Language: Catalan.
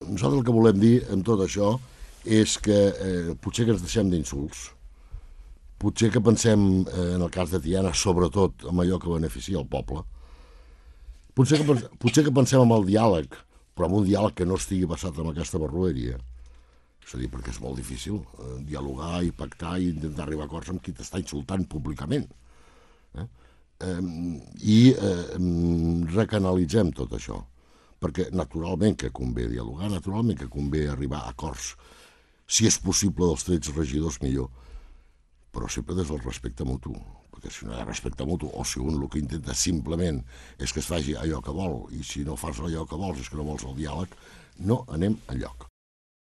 nosaltres el que volem dir amb tot això és que potser que ens deixem d'insults, potser que pensem, en el cas de Tiana, sobretot en allò que beneficia el poble, potser que pensem en el diàleg, però en un diàleg que no estigui basat en aquesta barroeria. És a dir, perquè és molt difícil dialogar i pactar i intentar arribar a acords amb qui t'està insultant públicament. I recanalitzem tot això, perquè naturalment que convé dialogar, naturalment que convé arribar a acords, si és possible dels 13 regidors millor, però sempre des del respecte mutu, perquè si no hi ha respecte mutu, o si un el que intenta simplement és que es faci allò que vol, i si no fas allò que vols és que no vols el diàleg, no anem enlloc.